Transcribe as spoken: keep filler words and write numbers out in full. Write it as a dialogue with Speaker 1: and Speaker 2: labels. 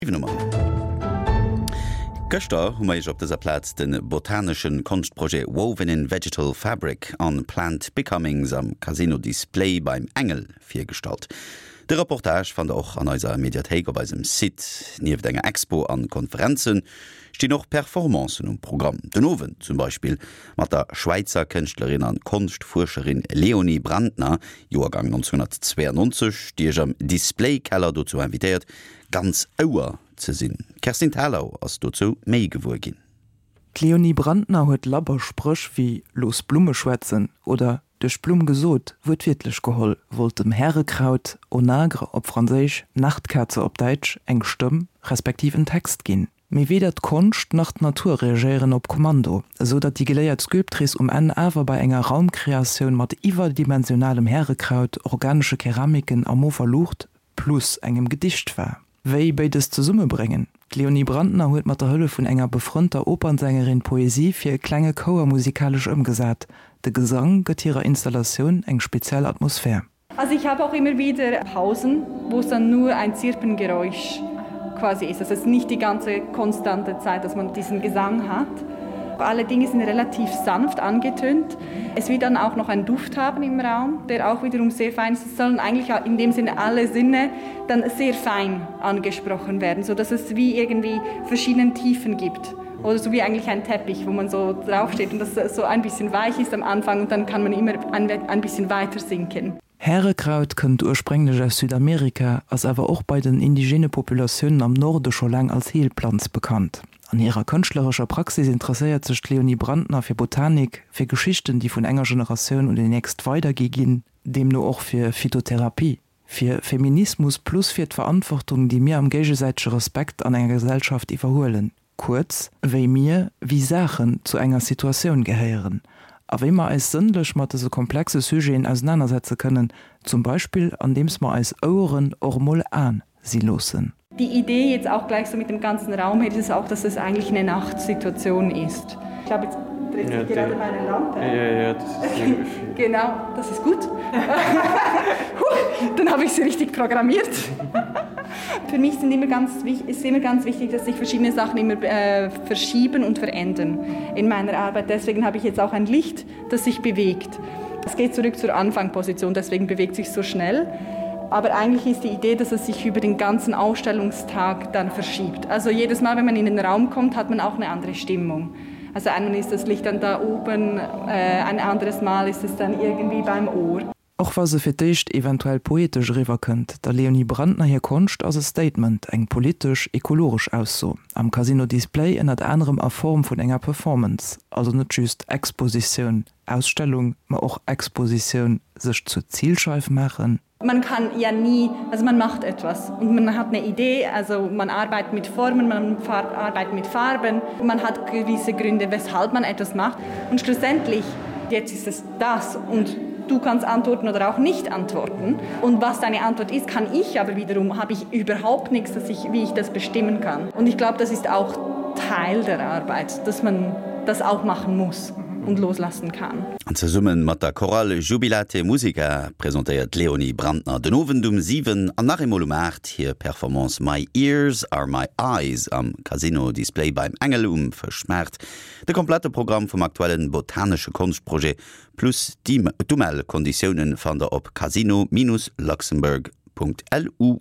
Speaker 1: Nummer. Gëschter hu mer iech op dëser Plaz de botanesche Konschtprojet Woven in Vegetal Fabric on Plant Becomings am Casino Display beim Engel virgestallt. De Reportage fannt der och an eiser Mediathéik op eisem Site. Nieft enger Expo an Konferenze stinn och Performancen um Programm. Den Owend zum Beispill mat der Schwäizer Kënschtlerin an Konschtfuerscherin Leonie Brandner, Joergang nonzénhunnertzweeanonzeg, déi iech am Display-Keller dozou invitéiert, ganz Ouer ze sinn. D'Kerstin Thalau ass dozou méi gewuer ginn.
Speaker 2: D'Leonie Brandner huet labber Spréch wéi Looss d'Blumme schwätzen oder Duerch d'Blumm gesot wuertwiertlech geholl, wollt dem Härekraut, Onagre op Franséisch, Nachtkerze op Däitsch, eng Stëmm, respektiv en Text ginn. Mee weder d'Konscht nach d'Natur reagéieren op Kommando, esou datt déi geléiert Sculptrice um Enn awer bei enger Raumkreatioun mat iwwerdimensionalem Härekraut, organesche Keramiken a mofer Luucht plus engem Gedicht war. Wéi béides zesummebréngen? D'Leonie Brandner huet mat der Hëllef vun enger befrënnter Opernsängerin Poesie fir e klenge Chouer musikalesch ëmgesat. De Gesang gëtt hirer Installatioun eng speziell Atmosphär.
Speaker 3: Also ich habe auch immer wieder Pausen, wo es dann nur ein Zirpengeräusch quasi ist. Also es ist nicht die ganze konstante Zeit, dass man diesen Gesang hat. Alle Dinge sind relativ sanft angetönt. Es wird dann auch noch einen Duft haben im Raum, der auch wiederum sehr fein ist. Es sollen eigentlich in dem Sinne alle Sinne dann sehr fein angesprochen werden, so dass es wie irgendwie verschiedene Tiefen gibt. Oder so wie eigentlich ein Teppich, wo man so draufsteht und das so ein bisschen weich ist am Anfang und dann kann man immer ein, ein bisschen weiter sinken.
Speaker 2: Härekraut kënnt ursprénglech aus Südamerika, ass awer och bei den indigene Populatiounen am Norde scho laang als Heelplanz bekannt. An hirer kënschtlerescher Praxis interesséiert sech d'Leonie Brandner fir Botanik, fir Geschichten, déi vun enger Generatioun un déi nächst weidergi ginn, deemno och fir Phytotherapie, fir Feminismus plus fir d'Verantwortung, déi mir am géigesäitege Respekt an enger Gesellschaft iwwerhuelen. Kuerz, wéi mir, wéi Saachen zu enger Situatioun gehéieren a wéi mer eis sënnlech mat dëse komplexe Sujeten ausenanersetze kënnen, zum Beispill andeems mer eis Oueren och emol Aen si loossen.
Speaker 3: Die Idee jetzt auch gleich so mit dem ganzen Raum her ist es auch, dass es eigentlich eine Nachtsituation ist. Ich glaube, jetzt dreht sich ja, gerade meine Lampe.
Speaker 4: Ja, ja, das ist
Speaker 3: genau, das ist gut. Dann habe ich sie richtig programmiert. Für mich sind immer ganz, ist immer ganz wichtig, dass sich verschiedene Sachen immer äh, verschieben und verändern in meiner Arbeit. Deswegen habe ich jetzt auch ein Licht, das sich bewegt. Es geht zurück zur Anfangposition, deswegen bewegt sich so schnell. Aber eigentlich ist die Idee, dass es sich über den ganzen Ausstellungstag dann verschiebt. Also jedes Mal, wenn man in den Raum kommt, hat man auch eine andere Stimmung. Also einmal ist das Licht dann da oben, äh, ein anderes Mal ist es dann irgendwie beim Ohr.
Speaker 2: Och wa se fir d'éischt eventuell poetesch eriwwerkënnt, der Leonie Brandner hir Konscht ass e Statement, eng politesch, ekologesch Ausso. Am Casino Display ënnert anerem a Form vun enger Performance, also net just Expositioun, Ausstellung, ma och Expositioun, sech zur Zilscheif maachen.
Speaker 3: Man kann ja nie, also man macht etwas und man hat eine Idee, also man arbeitet mit Formen, man arbeitet mit Farben, man hat gewisse Gründe, weshalb man etwas macht und schlussendlich, jetzt ist es das und du kannst antworten oder auch nicht antworten. Und was deine Antwort ist, kann ich aber wiederum, habe ich überhaupt nichts, dass ich, wie ich das bestimmen kann. Und ich glaube, das ist auch Teil der Arbeit, dass man das auch machen muss und loslassen kann.
Speaker 1: An zesumme mat der Chorale Jubilate Musica presentéiert d'Leonie Brandner den Owend um siwen an nach eemol um aacht hir Performance My Ears Are My Eyes am Casino Display beim Engel um Fëschmaart. De komplette Programm vum aktuellen botanesche Konschtprojet plus d'Umellkonditiounen fannt der op casino-luxembourg.lu.